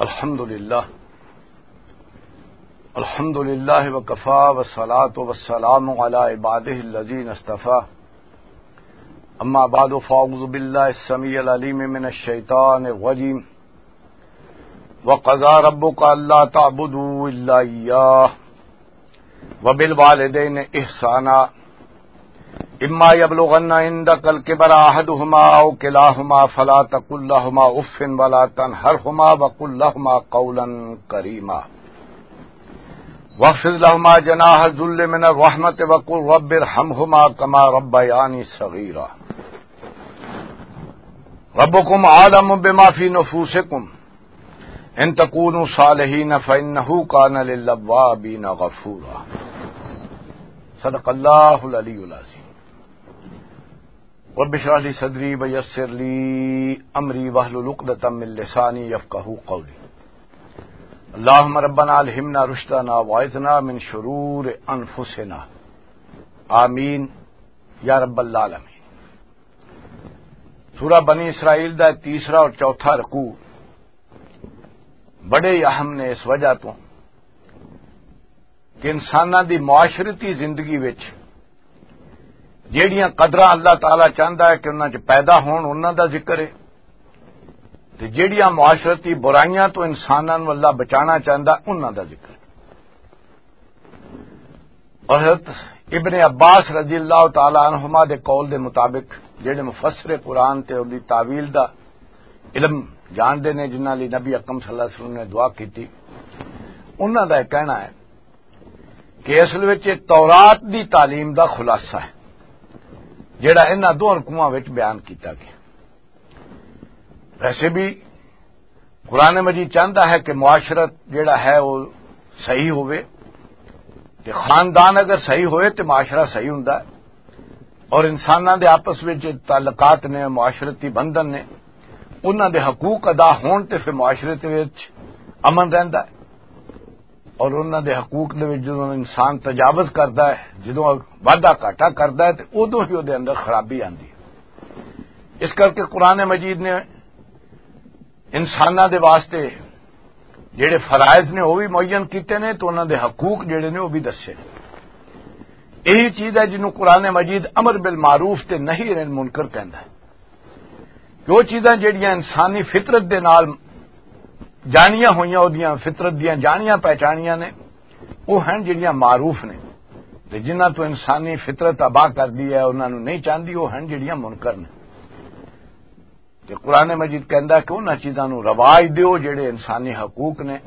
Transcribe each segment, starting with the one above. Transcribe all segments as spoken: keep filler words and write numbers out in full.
الحمد لله. الحمد لله وكفى، والصلاة والسلام على عباده الذين اصطفى. أما بعد، فأعوذ بالله السميع العليم من الشيطان الرجيم. وقضى ربك ألا تعبدوا إلا إياه وبالوالدين إحسانا. إما يبلغن عندك الكبر أحدهما أو كلاهما فلا تقل لهما أف ولا تنهرهما وقل لهما قولا كريما. واخفض لهما جناح الذل من الرحمة وقل رب ارحمهما كما ربياني صغيرا. ربكم أعلم بما في نفوسكم إن تكونوا صالحين فإنه كان للأوابين غفورا. صدق الله العلي العظيم. رب اشرح لي صدري ويسر لي أمري واحلل عقدة من لساني يفقهوا قولي. اللهم ربنا ألهمنا رشدنا وأعذنا من شرور أنفسنا. آمين يا رب العالمين. سورہ بنی اسرائیل دا تیسرا اور چوتھا رکوع بڑے ہی اہم نے، اس وجہ تو کہ انساناں دی معاشرتی زندگی وچ جیڑیاں قدراں اللہ تعالیٰ چاہندا ہے کہ انہاں چ پیدا ہون، انہاں دا ذکر ہے، تے جیڑیاں معاشرتی برائیاں تو انساناں نوں اللہ بچانا چاہندا، انہاں دا ذکر ہے۔ اور حضرت ابن عباس رضی اللہ تعالیٰ عنہما دے قول دے مطابق، جڑے مفسر قرآن تے اور دی تاویل دا علم جاندے نے، جنہاں لئی نبی اکرم صلی اللہ علیہ وسلم نے دعا کیتی، انہاں دا یہ کہنا ہے کہ اصل وچ یہ تورات دی تعلیم دا خلاصہ ہے، جڑا انہاں دو رکوعاں وچ بیان کیتا گیا۔ ویسے بھی قرآن مجید چاہتا ہے کہ معاشرت جڑا ہے وہ صحیح ہوئے، تے خاندان اگر صحیح ہوئے تے معاشرہ صحیح ہوندا ہے، اور انساناں دے آپس وچ تعلقات نے، معاشرتی بندھن نے، انہاں دے حقوق ادا ہون تے پھر معاشرے دے وچ امن رہندا ہے۔ اور انہاں دے حقوق دے وچ جدوں انسان تجاوز کردا ہے، جدوں وعدہ گھاٹا کردا ہے، تے اودوں ہی اودے اندر خرابی آندی ہے۔ اس کر کے قرآن مجید نے انساناں دے واسطے جڑے فرائض نے، وہ بھی معین کیتے نے، تو انہاں دے حقوق جڑے نے، وہ بھی دسے نے۔ یہی چیز ہے جنوں قرآن مجید امر بالمعروف تے نہی عن المنکر کہندا ہے۔ کہ وہ چیزاں جڑیاں انسانی فطرت دے نال جانیاں ہوئیاں، اودیاں فطرت دیاں جانیاں پہچانیاں نے، وہ ہیں جڑیاں معروف نے، تے جنہاں تو انسانی فطرت آبا کر دی ہے، انہاں نوں نہیں چاہندی، وہ ہیں جڑیاں منکر نے۔ تے قرآن مجید کہندا کہ انہاں چیزاں نوں رواج دیو جڑے انسانی حقوق نے،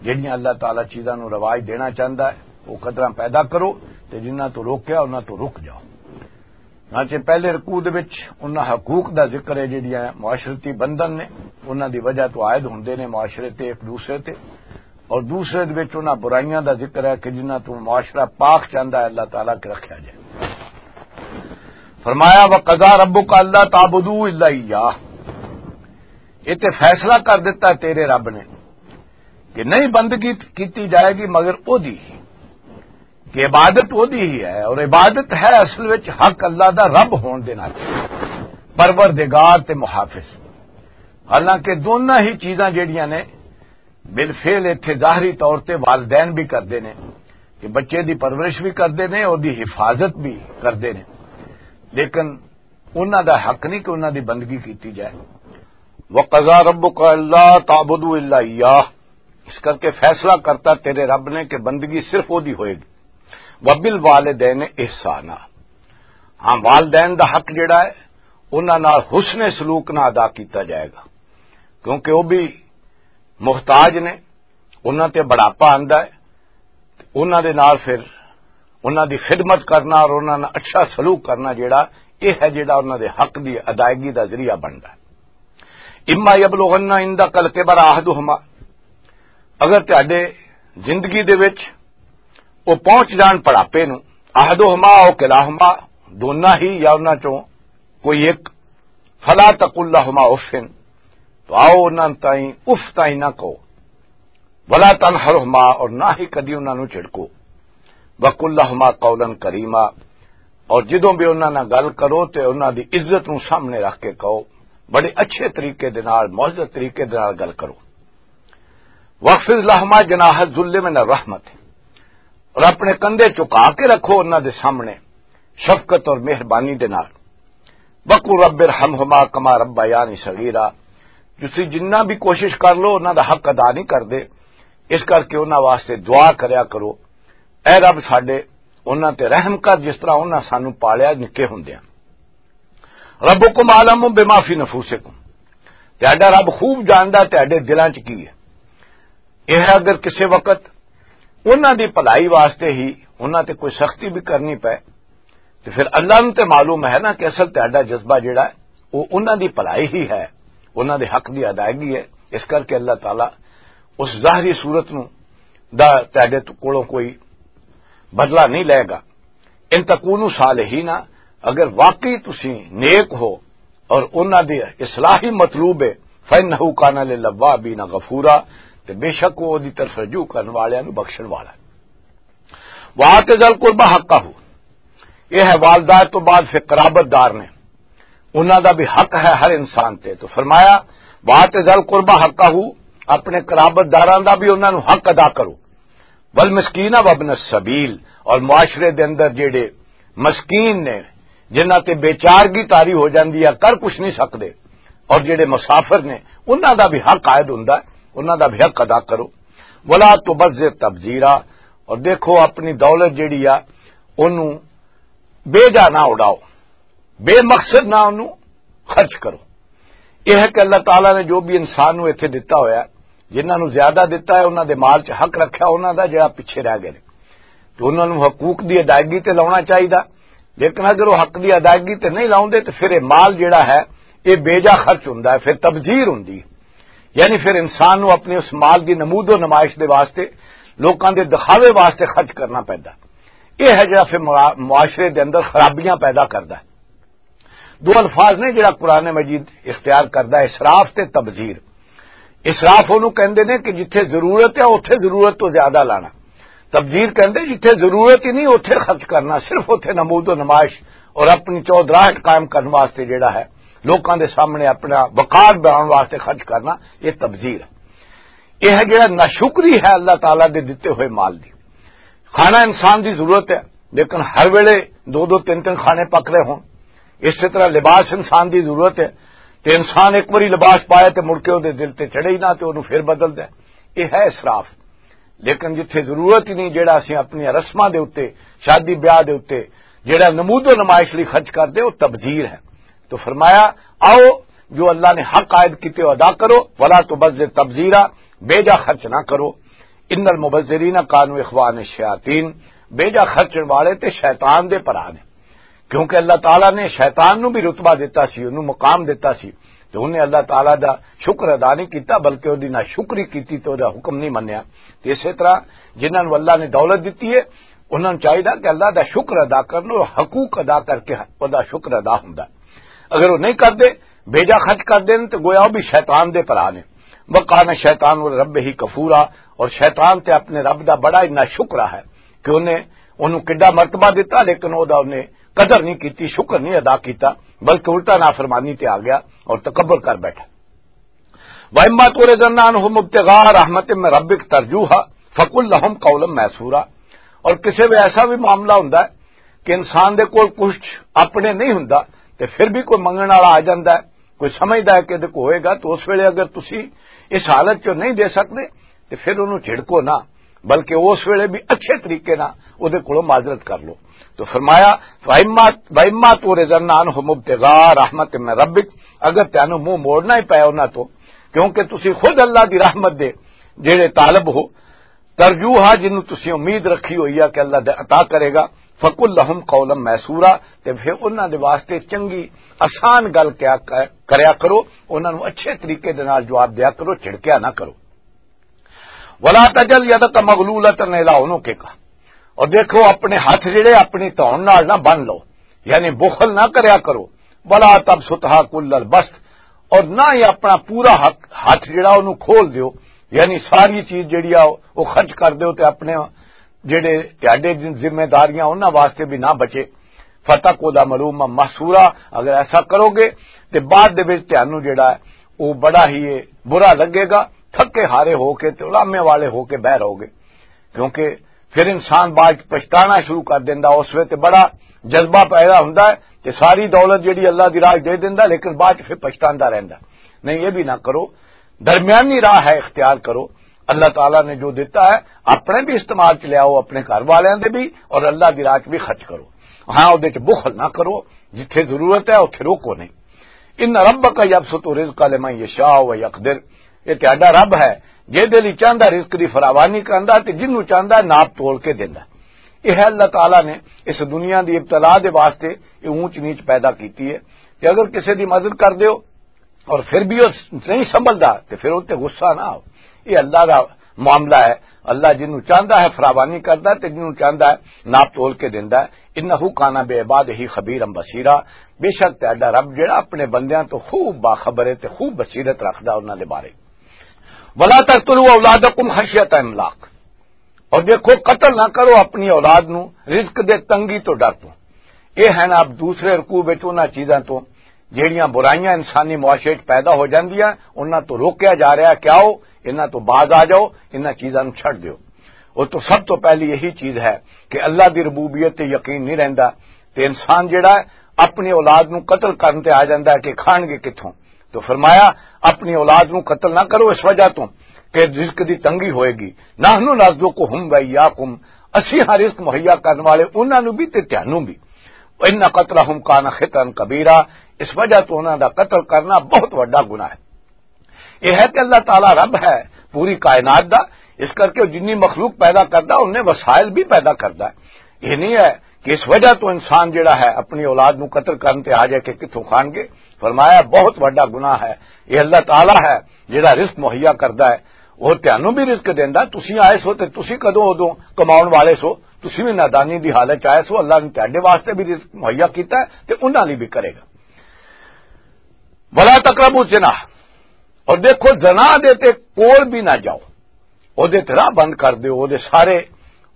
جڑیاں اللہ تعالیٰ چیزاں نوں رواج دینا چاہندا ہے، وہ قدراں پیدا کرو، تے جنہاں تو روکیا انہاں تو رک جاؤ۔ چنانچہ پہلے رکوع دے وچ انہاں حقوق دا ذکر ہے، جڑیاں معاشرتی بندھن نے، انہاں دی وجہ تو عائد ہوندے نے معاشرے تے ایک دوسرے تے، اور دوسرے دے وچ انہاں برائیاں دا ذکر ہے کہ جنہاں تو معاشرہ پاک چاہندا ہے اللہ تعالیٰ کہ رکھیا جائے۔ فرمایا، "وقضى ربك ألا تعبدوا إلا إياه"، یہ تے فیصلہ کر دیتا ہے تیرے رب نے کہ نہیں بندگی کیتی جائے گی مگر او دی، کہ عبادت او دی ہی ہے، اور عبادت ہے اصل وچ حق اللہ دا رب ہون دے نال، پروردگار تے محافظ۔ حالانکہ دونوں ہی چیزاں جڑیاں نے بالفعل ایتھے ظاہری طور تے والدین بھی کردے نے کہ بچے دی پرورش بھی کردے نے، او دی حفاظت بھی کردے نے، لیکن انہاں دا حق نہیں کہ انہاں دی بندگی کیتی جائے۔ "وقضى ربك ألا تعبدوا إلا إياه"، اس کر کے فیصلہ کرتا تیرے رب نے کہ بندگی صرف او دی ہوئے گی۔ "وبالوالدين إحسانا"، ہاں، والدین دا حق جڑا ہے، انہاں نال حسن سلوک نہ ادا کیتا جائے گا، کیونکہ وہ بھی محتاج نے، انہاں تے بڑھاپا آندا ہے، انہاں دے نال پھر انہاں دی خدمت کرنا اور انہاں نال اچھا سلوک کرنا جڑا، یہ ہے جڑا انہاں دے حق دی ادائیگی دا ذریعہ بندا ہے۔ "إما يبلغن عندك الكبر أحدهما"، اگر تہاڈے زندگی دے وچ وہ پہنچ جان بڑھاپے نو، "أحدهما أو كلاهما"، دونوں ہی یا انہاں چوں کوئی ایک، "فلا تقل لهما أف"، تو آؤ انہاں تائیں اف تائیں نہ کہو، "ولا تنهرهما"، اور نہ ہی کدی انہاں نوں جھڑکو، "وقل لهما قولا كريما"، اور جدوں بھی انہاں نال گل کرو تے انہاں دی عزت نوں سامنے رکھ کے کہو، بڑے اچھے طریقے دے نال، معزز طریقے دے نال گل کرو۔ وَاخْفِضْ لَهُمَا جَنَاحَ الذُّلِّ مِنَ الرَّحْمَةِ، اور اپنے کندھے چکا کے رکھو انہاں دے سامنے شفقت اور مہربانی دے نال۔ وَقُل رَّبِّ ارْحَمْهُمَا كَمَا رَبَّيَانِي صَغِيرًا۔ تسی جنہ بھی کوشش کر لو، انہاں دا حق ادا نہیں کردے، اس کر کے انہاں واسطے دعا کریا کرو، اے رب ساڈے، انہاں تے رحم کر جس طرح انہاں سانو پالیا نکے ہوندیاں۔ رَبُّكُمْ أَعْلَمُ بِمَا فِي نُفُوسِكُمْ، تہاڈا رب خوب جاندا تہاڈے دلاں چ کی ہے۔ یہ اگر کسے وقت انہاں دی بھلائی واسطے ہی انہاں تے کوئی سختی بھی کرنی پے، تو پھر اللہ نوں تے معلوم ہے نا کہ اصل تہاڈا جذبہ جڑا ہے، وہ انہاں دی بھلائی ہی ہے، انہاں دے حق دی ادائیگی ہے۔ اس کر کے اللہ تعالیٰ اس ظاہری صورت نوں دا تہاڈے کولوں کوئی بدلہ نہیں لے گا۔ ان تکونوا صالحین، اگر واقعی تسی نیک ہو اور انہاں دی اصلاح ہی مطلوب ہے، فَإِنَّهُ كَانَ لِلْأَوَّابِينَ غَفُورًا، تے بے شک وہ دی طرف رجوع کرن والیاں نوں بخشن والا ہے۔ وَآتِ ذَا الْقُرْبَىٰ حَقَّهُ، یہ ہے والدہ تو بعد پھر قرابت دار نے، انہاں دا بھی حق ہے ہر انسان تے۔ تو فرمایا، وَآتِ ذَا الْقُرْبَىٰ حَقَّهُ، اپنے قرابت داراں دا بھی انہاں نوں حق ادا کرو۔ وَالْمِسْكِينَ وَابْنَ السَّبِيلِ، اور معاشرے دے اندر جڑے مسکین نے، جنہاں تے بے چارگی طاری ہو جاندی ہے، کر کچھ نہیں سکدے، اور جڑے مسافر نے، انہاں دا بھی حق عائد ہوندا ہے، انہاں دا بھی حق ادا کرو۔ وَلَا تُبَذِّرْ تَبْذِيرًا، اور دیکھو اپنی دولت جڑی آ، اونوں بے جا نہ اڑاؤ، بے مقصد نہ اونوں خرچ کرو۔ یہ ہے کہ اللہ تعالیٰ نے جو بھی انسان نوں ایتھے دتا ہویا ہے، جنہاں نوں زیادہ دتا ہے، انہاں دے مال چ حق رکھیا، انہاں دا جڑا پیچھے رہ گئے نے، تو انہاں نوں حقوق دی ادائیگی تے لاؤنا چاہیدا۔ لیکن اگر وہ حق دی ادائیگی تے نہیں لاؤندے، تو پھر یہ مال جڑا ہے، یہ بے جا خرچ ہوندا ہے، پھر تبذیر ہوندی ہے۔ یعنی پھر انسان نوں اپنے اس مال دی نمود و نمائش دے واسطے، لوکاں دے دکھاوے واسطے خرچ کرنا پیندا۔ یہ ہے جڑا پھر معا-، معاشرے دے اندر خرابیاں پیدا کردا ہے۔ دو الفاظ نے جڑا قرآن مجید اختیار کردا ہے، اسراف تے تبذیر۔ اسراف اونوں کہندے نے کہ جتھے ضرورت ہے، اوتھے ضرورت تو زیادہ لانا۔ تبذیر کہندے جتھے ضرورت ہی نہیں، اوتھے خرچ کرنا، صرف اوتھے نمود و نمائش اور اپنی چودراہٹ قائم کرن واسطے جڑا ہے، لوکاں دے سامنے اپنا وقار بناؤن واسطے خرچ کرنا، یہ تبذیر ہے۔ یہ ہے جڑا ناشکری ہے اللہ تعالیٰ دے دتے ہوئے مال دی۔ کھانا انسان دی ضرورت ہے، لیکن ہر ویلے دو دو تین تین کھانے پک رہے ہون۔ اسی طرح لباس انسان دی ضرورت ہے، تے انسان ایک واری لباس پایا تے مڑ کے اودے دل تے چڑھے ہی نہ، تے اونوں پھر بدل دے۔ یہ ہے اسراف۔ لیکن جتھے ضرورت ہی نہیں، جڑا اسی اپنی رسماں دے اُتے، شادی بیاہ دے اُتے، جڑا نمود و نمائش لئی خرچ کر دے، وہ تبذیر ہے۔ تو فرمایا، آؤ، جو اللہ نے حق عائد کیتے، وہ ادا کرو، ولا تبذر تبذیرا، بے جا خرچ نہ کرو۔ ان المبذرین کانوا اخوان الشیاطین، بے جا خرچن والے تے شیطان دے بھرا نے۔ کیونکہ اللہ تعالیٰ نے شیطان نو بھی رتبہ دیتا سی، انہوں مقام دیتا سی، تو انہیں اللہ تعالیٰ دا شکر ادا نہیں کیتا، بلکہ اودی ناشکری کیتی تے اودے حکم نہیں منیا۔ تے اسے طرح جنہاں نو اللہ نے دولت دیتی ہے، انہاں نو چاہیدا کہ اللہ دا شکر ادا کرن، اور حقوق ادا کر کے ادا شکر ادا ہوندا۔ اگر وہ نہیں کردے، بے جا خرچ کردے نے، تو گویا وہ بھی شیطان دے بھرا نے۔ وکان شیطان رب ہی کفورا، اور شیطان تے اپنے رب دا بڑا ہی ناشکرا ہے کہ انہیں انہوں کڈا مرتبہ دیتا، لیکن او دا انہیں قدر نہیں کیتی، شکر نہیں ادا کیتا، بلکہ الٹا نافرمانی تے آ گیا اور تکبر کر بیٹھا۔ وَإِمَّا تُعْرِضَنَّ عَنْهُمُ ابْتِغَاءَ رَحْمَةٍ مِّن رَّبِّكَ تَرْجُوهَا فَقُل لَّهُمْ قَوْلًا مَّيْسُورًا۔ اور کسے وے ایسا بھی معاملہ ہوندا ہے کہ انسان دے کول کچھ اپنے نہیں ہوندا، تے پھر بھی کوئی منگن والا آ جاندا ہے، کوئی سمجھدا ہے کہ ادھے کو ہوئے گا، تو اس ویلے اگر تسی اس حالت چوں نہیں دے سکدے، تے پھر انہوں جھڑکو نہ، بلکہ اس ویلے بھی اچھے طریقے نال ادھے کولوں معذرت کر لو۔ تو فرمایا، "وَإِمَّا، وَإِمَّا تُعْرِضَنَّ عَنْهُمُ ابْتِغَاءَ رَحْمَةٍ مِّن رَّبِّكَ"، اگر تینوں منہ موڑنا ہی پیا انہاں تو، کیونکہ تسی خود اللہ دی رحمت دے جڑے طالب ہو، ترجوہا، جنوں تسی امید رکھی ہوئی ہے کہ اللہ دے عطا کرے گا، فَقُل لَّهُمْ قَوْلًا مَّيْسُورًا، تے پھر انہاں دے واسطے چنگی آسان گل کیا ک-، کریا کرو، انہاں نوں اچھے طریقے دے نال جواب دیا کرو، جھڑکیا نہ کرو۔ وَلَا تَجْعَلْ يَدَكَ مَغْلُولَةً إِلَىٰ عُنُقِكَ، اور دیکھو اپنے ہاتھ جڑے اپنی تون نال نہ بن لو، یعنی بخل نہ کریا کرو۔ وَلَا تَبْسُطْهَا كُلَّ الْبَسْطِ، اور نہ ہی اپنا پورا حق، ہاتھ جڑا اونوں کھول دیو، یعنی ساری چیز جڑی آ او خرچ کر دیو تے اپنے جڑے تہاڈے ذمہ داریاں انہاں واسطے بھی نہ بچے۔ فَتَقْعُدَ مَلُومًا مَّحْسُورًا، اگر ایسا کرو گے تے بعد دے وچ تہانوں جڑا ہے او بڑا ہی برا لگے گا، تھکے ہارے ہو کے تے علامے والے ہو کے بہہ رہو گے۔ کیونکہ پھر انسان بعد چ پچھتانا شروع کر دیندا، اس وقت بڑا جذبہ پیدا ہوندا ہے کہ ساری دولت جڑی اللہ دی راہ دے دیندا، لیکن بعد چ پھر پچھتاندا رہندا۔ نہیں، یہ بھی نہ کرو، درمیانی راہ ہے، اختیار کرو۔ اللہ تعالیٰ نے جو دیتا ہے، اپنے بھی استعمال چ لیاؤ، اپنے گھر والوں دے بھی، اور اللہ دی راہ چ بھی خرچ کرو۔ ہاں، اودے چ بخل نہ کرو، جتھے ضرورت ہے اتھے روکو نہیں۔ ان ربک یبسط الرزق لمن یشاء و یقدر، یہ تہاڈا رب ہے، جے دے لئی چاہندا رزق دی فراوانی کرندا تے جنوں چاہندا ناپ تول کے دیندا۔ یہ ہے اللہ تعالیٰ نے اس دنیا دی ابتلا دے واسطے یہ اونچ نیچ پیدا کیتی ہے۔ کہ اگر کسی دی مدد کر دیو اور پھر بھی وہ نہیں سنبھلدا تے پھر وہ تے غصہ نہ آؤ۔ یہ اللہ دا معاملہ ہے۔ اللہ جنوں چاہندا ہے فراوانی کردا تے جنوں چاہندا ہے ناپ تول کے دیندا ہے۔ انہ کان بعبادہ خبیرا بصیرا، بے شک تہاڈا رب جڑا اپنے بندیاں تو خوب باخبر ہے تے خوب بصیرت رکھدا انہاں دے بارے۔ ولا تقتلوا اولادکم خشیت املاق، اور دیکھو، قتل نہ کرو اپنی اولاد نو رزق دے تنگی تو ڈر تو۔ یہ ہیں اب دوسرے رکوع وچ انہاں چیزاں تو جہڑیاں برائیاں انسانی معاشرے وچ پیدا ہو جاندیاں، انہاں تو روکیا جا رہا ہے کہ آؤ، انہاں تو باز آ جاؤ، انہاں چیزاں نو چھڈ دیو۔ وہ تو سب تو پہلی یہی چیز ہے کہ اللہ دی ربوبیت تے یقین نہیں رہندا، تے انسان جڑا ہے اپنی اولاد نو قتل کرن تے آ جاندا ہے کہ کھان گے کتھوں۔ تو فرمایا، اپنی اولاد نو قتل نہ کرو اس وجہ تو کہ رزق دی تنگی ہوئے گی۔ نحن نرزقہم و ایاکم، اسی ہاں رزق مہیا کرن والے انہاں نو بھی تے تہانوں بھی۔ وان قتلہم کان خطئا کبیرا، اس وجہ تو انہاں دا قتل کرنا بہت وڈا گناہ ہے۔ یہ ہے کہ اللہ تعالیٰ رب ہے پوری کائنات دا، اس کر کے جنی مخلوق پیدا کردا، انہیں وسائل بھی پیدا کردا ہے۔ یہ نہیں ہے کہ اس وجہ تو انسان جڑا ہے اپنی اولاد نو قتل کرن تے آ جائے کہ کتھوں کھان گے۔ فرمایا، بہت وڈا گناہ ہے۔ یہ اللہ تعالیٰ ہے جڑا رزق مہیا کردا ہے، وہ تہانوں بھی رزق دیندا۔ تسی آئے سو تے تسی کدوں ادوں کماؤن والے سو، تسی بھی نادانی دی حالت چ آئے سو۔ اللہ نے تہاڈے واسطے بھی رزق مہیا کیتا ہے تے انہاں لئی بھی کرے گا۔ ولا تقربوا الزنا، اور دیکھو، زنا دے تے کول بھی نہ جاؤ، او دے تے راہ بند کر دیو، او دے سارے،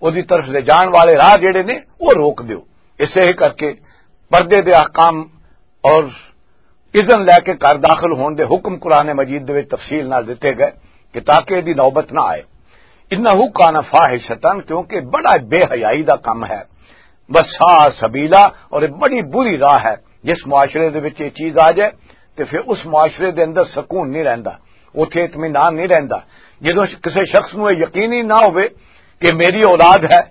او دی طرف لے جان والے راہ جڑے نے، وہ روک دیو۔ اسے ہی کر کے پردے دے احکام اور اذن لے کے گھر داخل ہون دے حکم قرآن مجید دے وچ تفصیل نال دتے گئے کہ تاکہ دی نوبت نہ آئے۔ انہ کان فاحشتاً، کیونکہ بڑا بے حیائی دا کم ہے۔ وساء سبیلا، اور یہ بڑی بری راہ ہے۔ جس معاشرے دے وچ یہ چیز آ جائے تے پھر اس معاشرے دے اندر سکون نہیں رہندا، اتھے اطمینان نہیں رہندا۔ جدوں کسی شخص نوں یہ یقین ہی نہ ہوئے کہ میری اولاد ہے،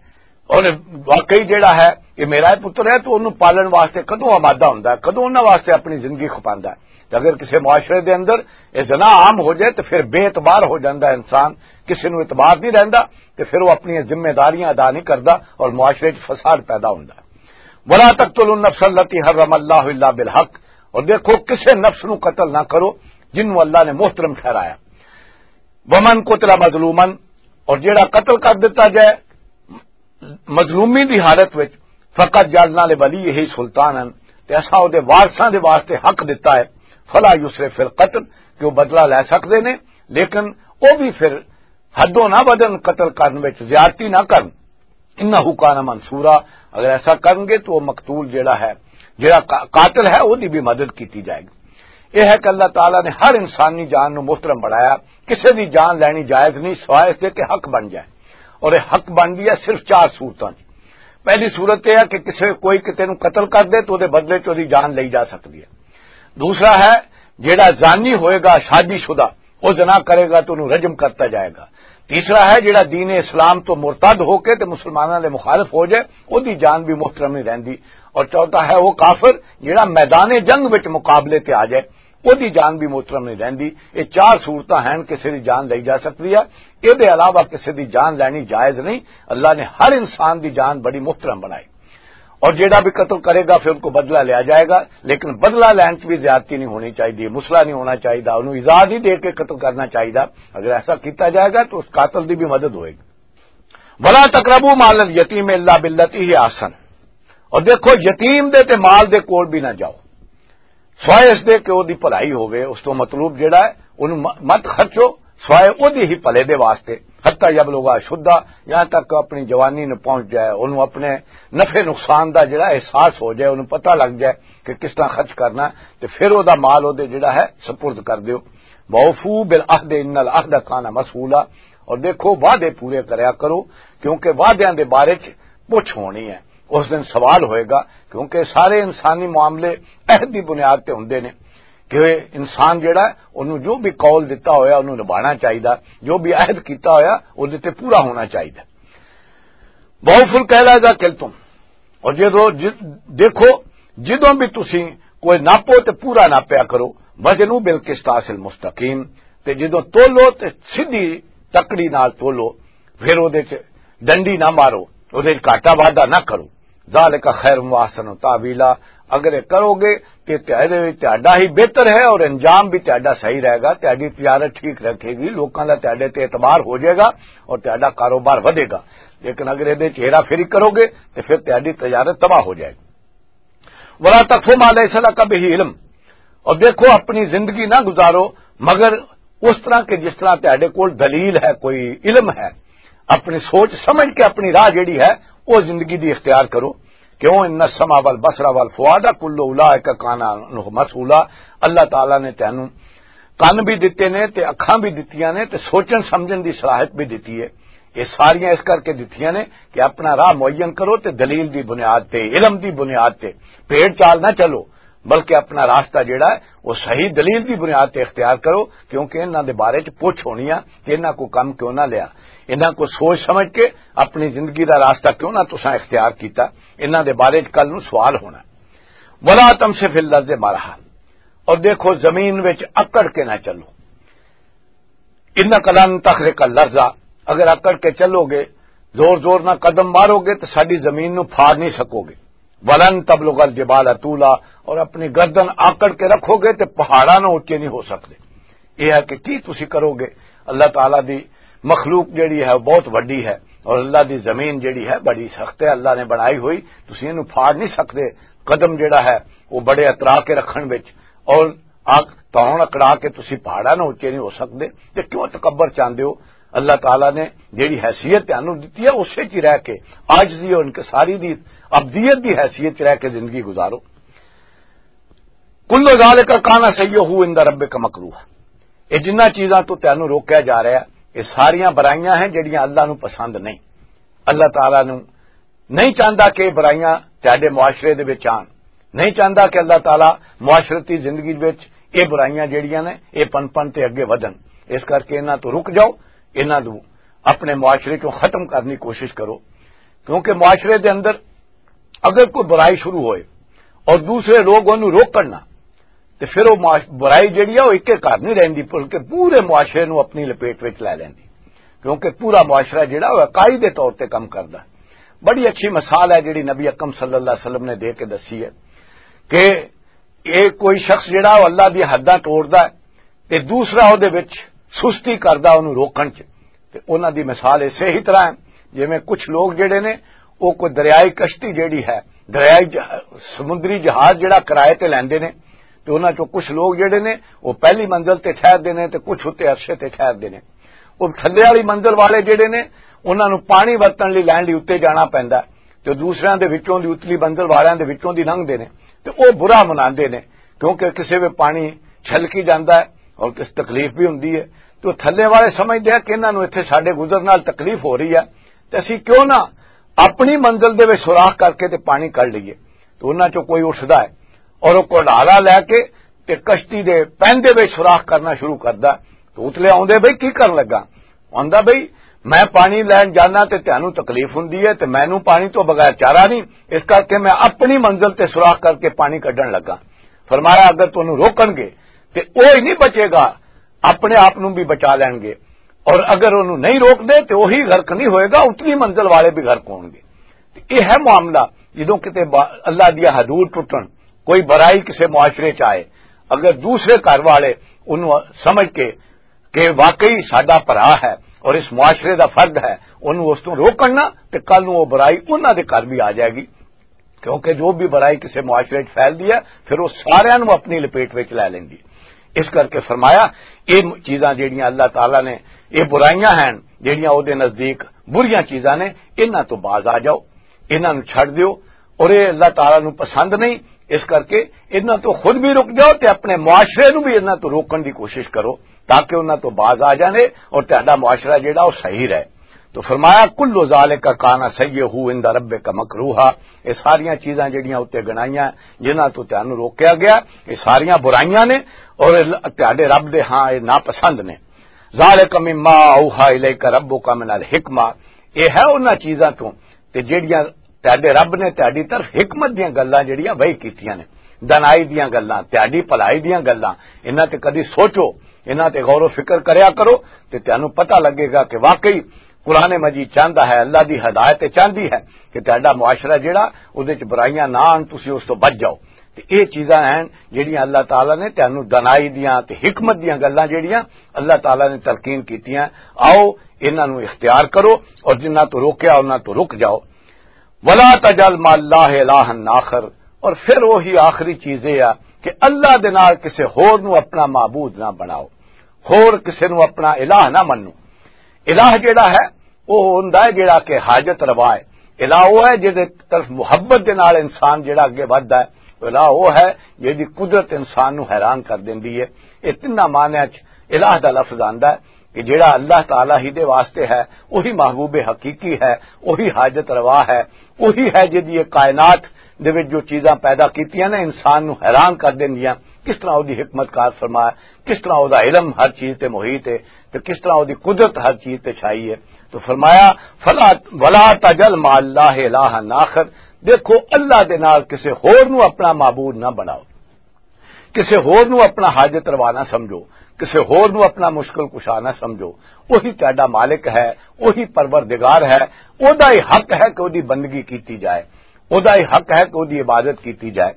اور واقعی جڑا ہے یہ میرا ہی پتر ہے، تو انہوں پالن واسطے کدوں آمادہ ہوندا ہے، کدوں انہاں واسطے اپنی زندگی کھپاندا ہے؟ تے اگر کسی معاشرے دے اندر یہ زنا عام ہو جائے تو پھر بے اعتبار ہو جاندا ہے انسان، کسی نوں اعتبار نہیں رہندا، تے پھر وہ اپنی ذمہ داریاں ادا نہیں کردا اور معاشرے 'چ فساد پیدا ہوندا۔ ولا تقتلوا النفس التي حرم الله الا بالحق، اور دیکھو، کسے نفس نو قتل نہ کرو جن نو اللہ نے محترم ٹھہرایا۔ ومن قتل مظلوما، اور جیڑا قتل کر دتا جائے مظلومی دی حالت وچ، فقد جعلنا لوليه سلطانا، تے اساں او دے وارثاں دے واسطے حق دتا ہے، فلا يسرف في القتل، کہ وہ بدلہ لے سکدے نے، لیکن او بھی پھر حدوں نہ ودن، قتل کرن وچ زیادتی نہ کرن۔ انہ کان منصورا، اگر ایسا کرن گے تو وہ مقتول جڑا ہے، جڑا قا-، قاتل ہے، وہ دی بھی مدد کیتی جائے گی۔ یہ ہے کہ اللہ تعالیٰ نے ہر انسانی جان نو محترم بنایا، کسے دی جان لینی جائز نہیں سوائے اس دے کہ حق بن جائے۔ اور یہ حق بن گیا صرف چار صورتاں چ۔ پہلی صورت یہ ہے کہ کسے، کوئی کتے نو قتل کر دے تو دے بدلے چ دی جان لئی جا سکتی ہے۔ دوسرا ہے، جیڑا زانی ہوئے گا، شادی شدہ، وہ زنا کرے گا تو انہوں رجم کرتا جائے گا۔ تیسرا ہے، جیڑا دین اسلام تو مرتد ہو کے تے مسلمانوں دے مخالف ہو جائے، وہ دی جان بھی محترم نہیں رہندی۔ اور چوتھا ہے وہ کافر جیڑا میدان جنگ وچ مقابلے تے آ جائے، وہ دی جان بھی محترم نہیں رہندی۔ یہ چار صورتاں ہیں کسی دی جان لئی جا سکتی ہے، یہ دے علاوہ کسی دی جان لینی جائز نہیں۔ اللہ نے ہر انسان دی جان بڑی محترم بنائی۔ اور جیڑا بھی قتل کرے گا پھر ان کو بدلہ لیا جائے گا، لیکن بدلہ لین چ بھی زیادتی نہیں ہونی چاہیے، مسئلہ نہیں ہونا چاہیے، انہوں ایذا نہیں دے کے قتل کرنا چاہیے۔ اگر ایسا کیتا جائے گا تو اس قاتل دی بھی مدد ہوئے گی۔ ولا تقربوا مال الیتیم الا بالتی هي احسن، اور دیکھو، یتیم دے تے مال دے کول بھی نہ جاؤ سوائے اس دے کہ او دی بھلائی ہووے۔ اس تو مطلوب جیڑا ہے، اونوں م-، مت خرچو سوائے او دی ہی بھلے دے واسطے۔ حتی یبلغ اشدہ، یہاں تک اپنی جوانی نوں پہنچ جائے، اونوں اپنے نفع نقصان دا جیڑا احساس ہو جائے، اونوں پتہ لگ جائے کہ کس طرح خرچ کرنا ہے، تے پھر او دا مال او دے جیڑا ہے سپرد کر دیو۔ وَأَوْفُوا بِالْعَهْدِ إِنَّ الْعَهْدَ كَانَ مَسْئُولًا، اور دیکھو، وعدے پورے کریا کرو، کیونکہ وعدیاں دے بارے چ پوچھ ہونی ہے۔ اس دن سوال ہوئے گا، کیونکہ سارے انسانی معاملے عہد دی بنیاد تے ہوندے نے، کہ انسان جڑا ہے، انہوں جو بھی قول دتا ہویا، انہوں نبھانا چاہیدا، جو بھی عہد کیتا ہویا، او دے تے پورا ہونا چاہیدا۔ وَأَوْفُوا الْكَيْلَ إِذَا كِلْتُمْ، اور جدوں ج-، دیکھو، جدوں بھی تسی کوئی ناپو تے پورا ناپیا کرو، وزنوا بالقسطاس المستقیم، تے جدوں تولو تے سیدھی تکڑی نال تولو، پھر اودے چ ڈنڈی نہ مارو، اودے چ گھاٹا وعدہ نہ کرو۔ ذالک خیر و احسن تاویلا، اگر یہ کرو گے تے تہاڈے وچ تہاڈا ہی بہتر ہے اور انجام بھی تہاڈا صحیح رہے گا، تہاڈی تجارت ٹھیک رکھے گی، لوکاں دا تہاڈے تے اعتبار ہو جائے گا اور تہاڈا کاروبار ودے گا۔ لیکن اگر یہ ہیرا پھیری کرو گے تو پھر تہاڈی تجارت تباہ ہو جائے گی۔ ولا تقف ما لیس لک بہ علم، اور دیکھو، اپنی زندگی نہ گزارو مگر اس طرح کہ جس طرح تہاڈے کول دلیل ہے، کوئی علم ہے۔ اپنی سوچ سمجھ کے اپنی راہ جڑی ہے، وہ زندگی دی اختیار کرو۔ کیوں؟ ان السمع والبصر والفؤاد کل اولئک کان عنہ مسئولا۔ اللہ تعالیٰ نے تینوں کن بھی دتے نے تے اکھاں بھی دتیاں نے تے سوچن سمجھن دی صلاحیت بھی دتی ہے۔ یہ ساریاں اس کر کے دتیاں نے کہ اپنا راہ معین کرو تے دلیل دی بنیاد تے، علم دی بنیاد تے، پیڑ چال نہ چلو، بلکہ اپنا راستہ جڑا ہے، وہ صحیح دلیل دی بنیاد تے اختیار کرو، کیونکہ انہاں دے بارے چ پوچھ ہونی آ کہ انہاں کو کم کیوں نہ لیا، انہاں کو سوچ سمجھ کے اپنی زندگی دا راستہ کیوں نہ تساں اختیار کیتا، انہاں دے بارے چ کل نوں سوال ہونا۔ ولا تمش فی الارض مرحا، اور دیکھو، زمین وچ اکڑ کے نہ چلو۔ انک لن تخرق الارض، اگر اکڑ کے چلو گے، زور زور نہ قدم مارو گے تو ساڈی زمین نو پھاڑ نہیں سکو گے۔ ولن تبلغ الجبال طولا، اور اپنی گردن آکڑ کے رکھو گے تو پہاڑاں نو اچے نہیں ہو سکتے۔ یہ ہے کہ کی تسی کرو گے؟ اللہ تعالیٰ دی مخلوق جڑی ہے، وہ بہت وڈی ہے، اور اللہ دی زمین جڑی ہے، بڑی سخت ہے، اللہ نے بنائی ہوئی، تسی اینو پھاڑ نہیں سکتے۔ قدم جڑا ہے، وہ بڑے اترا کے رکھن وچ، اور آگ تون اکڑا کے تسی پہاڑاں نو اچے نہیں ہو سکتے۔ تے کیوں تکبر چاہندے ہو؟ اللہ تعالیٰ نے جڑی حیثیت تانوں دتی ہے، اسے چ رہ کے، عاجزی اور انکساری دی، ابدیت دی حیثیت چ رہ کے زندگی گزارو۔ کل ذالک کان سیئہ عند ربک مکروہ۔ یہ جنہ چیزاں تو تینوں روکیا جا رہا ہے، یہ ساریاں برائیاں ہیں جڑیاں اللہ نو پسند نہیں۔ اللہ تعالیٰ نو نہیں چاہندا کہ یہ برائیاں تہاڈے معاشرے دے وچ آن، نہیں چاہندا کہ اللہ تعالیٰ معاشرتی زندگی وچ یہ برائیاں جڑیاں نے، یہ پن پن تے اگے ودھن۔ اس کر کے انہاں تو رک جاؤ، انہاں نو اپنے معاشرے چوں ختم کرنے کی کوشش کرو، کیونکہ معاشرے دے اندر اگر کوئی برائی شروع ہوئے اور دوسرے لوگ انہوں روکن نہ، تے پھر وہ معاش-، برائی جڑی ہے، وہ اکے گھر نہیں رہندی، بلکہ پورے معاشرے نو اپنی لپیٹ وچ لے لیندی، کیونکہ پورا معاشرہ جڑا، وہ اکائی دے طور تے کم کردا ہے۔ بڑی اچھی مثال ہے جڑی نبی اکرم صلی اللہ علیہ وسلم نے دے کے دسی ہے کہ یہ کوئی شخص جڑا، وہ اللہ دی حداں توڑدا ہے، تے دوسرا او دے وچ سستی کردا، اونوں روکن چ۔ تے انہاں دی مثال اسے ہی طرح ہے، جویں کچھ لوگ جڑے نے، او کوئی دریائی کشتی جڑی ہے، دریائی جہ-، سمندری جہاز جڑا کرائے تے لیندے نے، تے انہاں چوں کچھ لوگ جڑے نے، او پہلی منزل تے ٹھہردے نے تے کچھ اُتے عرشے تے ٹھہردے نے۔ او تھلے والی منزل والے جڑے نے، انہاں نوں پانی ورتن لئی، لین لئی اُتے جانا پیندا ہے، تے دوسریاں دے وچوں دی، اتلی منزل والیاں دے وچوں دی لنگھدے نے، تے او برا مناندے نے، کیونکہ کسے وے پانی چھلکی جاندا ہے اور کس تکلیف بھی ہوندی ہے۔ تو تھلے والے سمجھدے ہیں کہ انہاں نوں اتھے ساڈے گزر نال تکلیف ہو رہی ہے، تے اسی کیوں نہ اپنی منزل دے وچ سوراخ کر کے تے پانی کڈ لئیے۔ تو انہاں چوں کوئی اٹھدا ہے اور او کڈالا لے کے تے کشتی دے پیندے وچ سوراخ کرنا شروع کردا ہے۔ تو اتلے آوندے، "بھئی، کی کرن لگا؟" آندا، "بھئی، میں پانی لین جانا تے تانوں تکلیف ہوندی ہے تے مینوں پانی تو بغیر چارہ نہیں، اس کر کے میں اپنی منزل تے سوراخ کر کے پانی کڈن لگا۔" فرمایا، اگر تانوں روکن گے تے او ہی نہیں بچے گا، اپنے آپ نوں بھی بچا لین گے، اور اگر انہوں نہیں روک دے تے وہی غرق نہیں ہوئے گا، اتنی منزل والے بھی غرق ہون گے۔ تے یہ ہے معاملہ، جدوں کتے با-، اللہ دیا حدود ٹوٹن، کوئی برائی کسے معاشرے چ آئے، اگر دوسرے گھر والے انہوں سمجھ کے کہ واقعی ساڈا بھرا ہے اور اس معاشرے دا فرد ہے، انہوں اس تو روکن نہ، تے کل نوں وہ برائی انہاں دے گھر بھی آ جائے گی۔ کیونکہ جو بھی برائی کسے معاشرے وچ پھیلدی ہے، پھر وہ ساریاں نوں اپنی لپیٹ وچ لے لیندی۔ اس کر کے فرمایا، یہ چیزاں جڑیاں اللہ تعالیٰ نے، یہ برائیاں ہیں جڑیاں او دے نزدیک بریاں چیزاں نے، انہاں تو باز آ جاؤ، انہاں نوں چھڈ دیو، اور یہ اللہ تعالیٰ نوں پسند نہیں۔ اس کر کے انہاں تو خود بھی رک جاؤ تے اپنے معاشرے نوں بھی انہاں تو روکن دی کوشش کرو۔ تاکہ انہاں تو باز آ جانے اور تہاڈا معاشرہ جڑا وہ صحیح رہے۔ تو فرمایا، "کل ذالک کان سیئہ عند ربک مکروہا۔" یہ ساریاں چیزاں جڑیاں اتنے گنائیاں، جنہاں تو تہانوں روکیا گیا، یہ ساریاں برائیاں نے اور تہاڈے رب دے ہاں یہ ناپسند نے۔ "ذالک مما اوحی الیک ربک من الحکمہ۔" یہ ہے انہاں چیزاں تو تے جیڑیاں تہاڈے رب نے تہاڈی طرف حکمت دیاں گلاں جیڑیاں وحی کیتیاں نے، دانائی دیاں گلاں، تہاڈی بھلائی دیاں گلاں، انہاں تے کدی سوچو، انہاں تے غور و فکر کریا کرو، تے تہانوں پتہ لگے گا کہ واقعی قرآن مجید چاہندا ہے، اللہ دی ہدایت چاہندی ہے کہ تہاڈا معاشرہ جیڑا، اودے چ برائیاں نہ آن، تسی اس تو بچ جاؤ۔ تے اے چیزاں ہیں جیڑیاں اللہ تعالیٰ نے تہانوں دانائی دیاں تے حکمت دیاں گلاں جیڑیاں اللہ تعالیٰ نے تلقین کیتیاں، آؤ انہاں نوں اختیار کرو، اور جنہاں تو روکیا انہاں تو رک جاؤ۔ "ولا تجعل مع اللہ الہا آخر۔" اور پھر وہی آخری چیز یہ ہے کہ اللہ دے نال کسے ہور نو اپنا معبود نہ بناؤ، ہور کسے نو اپنا الہ نہ منو۔ الہ جڑا ہے، وہ ہوندا ہے جڑا کہ حاجت روا ہے۔ الہ وہ ہے جڑے طرف محبت دے نال انسان جڑا اگے ودھدا ہے۔ الہ وہ ہے جڑی قدرت انسان نو حیران کر دیندی ہے۔ یہ تیناں معنیاں چ الہ دا لفظ آندا ہے کہ جڑا اللہ تعالیٰ ہی دے واسطے ہے، وہی محبوب حقیقی ہے، وہی حاجت روا ہے، وہی ہے جدی یہ کائنات دے وچ جو چیزاں پیدا کیتیاں نے، انسان نو حیران کر دیندیاں۔ کس طرح او دی حکمت کار فرمایا، کس طرح او دا علم ہر چیز تے محیط ہے، تے کس طرح او دی قدرت ہر چیز تے چھائی ہے۔ تو فرمایا، "فلا، ولا تجعل مع اللہ الہا آخر۔" دیکھو، اللہ دے نال کسے ہور نو اپنا معبود نہ بناؤ، کسے ہور نو اپنا حاجت روا نہ سمجھو، کسے ہور نو اپنا مشکل کشا نہ سمجھو۔ وہی تہاڈا مالک ہے، وہی پروردگار ہے، او دا ہی حق ہے کہ او دی بندگی کیتی جائے، او دا ہی حق ہے کہ او دی عبادت کیتی جائے۔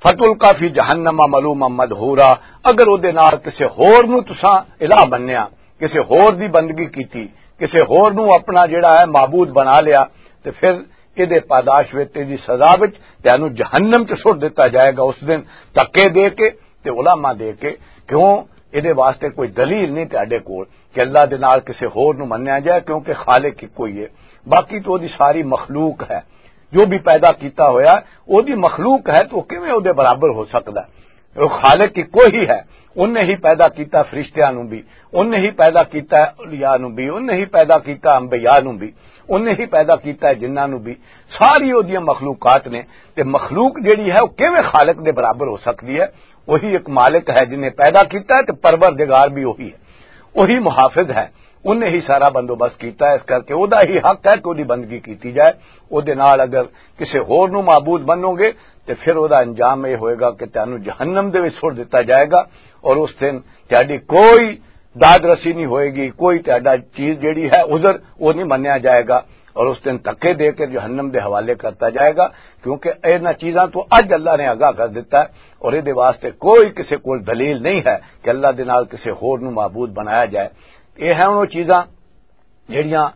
"فتلقی فی جہنم ملوما مدحورا۔" اگر او دے نال کسے ہور نو تساں الہ بنیا، کسے ہور دی بندگی کیتی، کسے ہور نو اپنا جڑا ہے معبود بنا لیا، تے پھر اے دے پاداش وچ، تے دی سزا وچ تینوں جہنم چ سٹ دتا جائے گا اس دن، دھکے دے کے تے علماء دے کے۔ کیوں؟ اے دے واسطے کوئی دلیل نہیں تہاڈے کول کہ اللہ دے نال کسے ہور نو منیا جائے، کیونکہ خالق اکو ہی ہے۔ باقی تو دی ساری مخلوق ہے، جو بھی پیدا کیتا ہویا ہے، او دی مخلوق ہے، تو کیویں او دے برابر ہو سکدا ہے؟ او خالق اکو ہی ہے۔ انہیں ہی پیدا کیتا فرشتیاں نو بھی، انہیں ہی پیدا کیتا ہے اولیاء نو بھی، انہیں ہی پیدا کیتا انبیاء نو بھی، انہیں ہی پیدا کیتا ہے جنہاں نو بھی۔ ساری او دیاں مخلوقات نے، تے مخلوق جیڑی ہے، او کیویں خالق دے برابر ہو سکدی ہے؟ وہی ایک مالک ہے جنہیں پیدا کیتا ہے، تے پروردگار بھی وہی ہے، وہی محافظ ہے۔ انہیں ہی سارا بندوبست کیتا ہے، اس کر کے او دا ہی حق ہے کہ او دی بندگی کیتی جائے۔ او دے نال اگر کسے ہور نو معبود بنو گے، تے پھر او دا انجام یہ ہوئے گا کہ تانوں جہنم دے وچ چھوڑ دتا جائے گا، اور اس دن تہاڈی کوئی داد رسی نہیں ہوئے گی، کوئی تہاڈا چیز جیڑی ہے، عذر، وہ نہیں منیا جائے گا، اور اس دن دھکے دے کے جہنم دے حوالے کرتا جائے گا۔ کیونکہ انہاں چیزاں تو اج اللہ نے آگاہ کر دیتا ہے، اور یہ واسطے کوئی کسے کول دلیل نہیں ہے کہ اللہ دے نال کسے ہور نو معبود بنایا جائے۔ یہ ہیں وہ چیزاں جڑیاں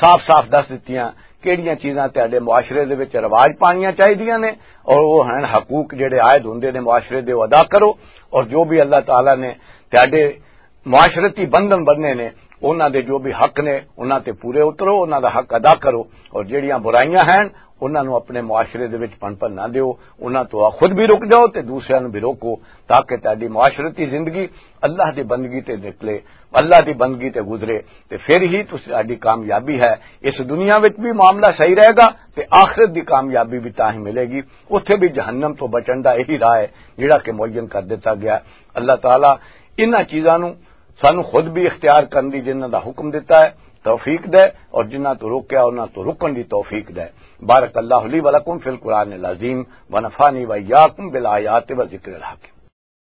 صاف صاف دس دتیاں کہڑیاں چیزاں تہاڈے معاشرے دے وچ رواج پانیاں چاہیدیاں نے، اور وہ ہیں حقوق جڑے عائد ہوندے نے معاشرے دے، وہ ادا کرو، اور جو بھی اللہ تعالیٰ نے تہاڈے معاشرتی بندھن بننے نے، انہاں دے جو بھی حق نے، انہاں تے پورے اترو، انہاں دا حق ادا کرو، اور جڑیاں برائیاں ہیں، انہاں نوں اپنے معاشرے دے وچ پنپن نہ دیو، انہاں تو خود بھی رک جاؤ تے دوسریاں نوں بھی روکو، تاکہ تہاڈی معاشرتی زندگی اللہ دی بندگی تے نکلے، اللہ دی بندگی تے گزرے، تے پھر ہی تہاڈی کامیابی ہے۔ اس دنیا وچ بھی معاملہ صحیح رہے گا تے آخرت دی کامیابی بھی تاں ہی ملے گی۔ اتھے بھی جہنم تو بچن دا یہی راہ ہے، جڑا کہ معین کر دتا گیا۔ اللہ تعالیٰ انہاں چیزاں نوں سانوں خود بھی اختیار کرن دی، جنہاں دا حکم دتا ہے، توفیق دے، اور جنہاں تو روکیا، انہاں تو رکن دی توفیق دے۔ بارک اللہ لی و لکم فی القرآن العظیم، و نفعنی و ایاکم بالآیات و ذکر الحکیم۔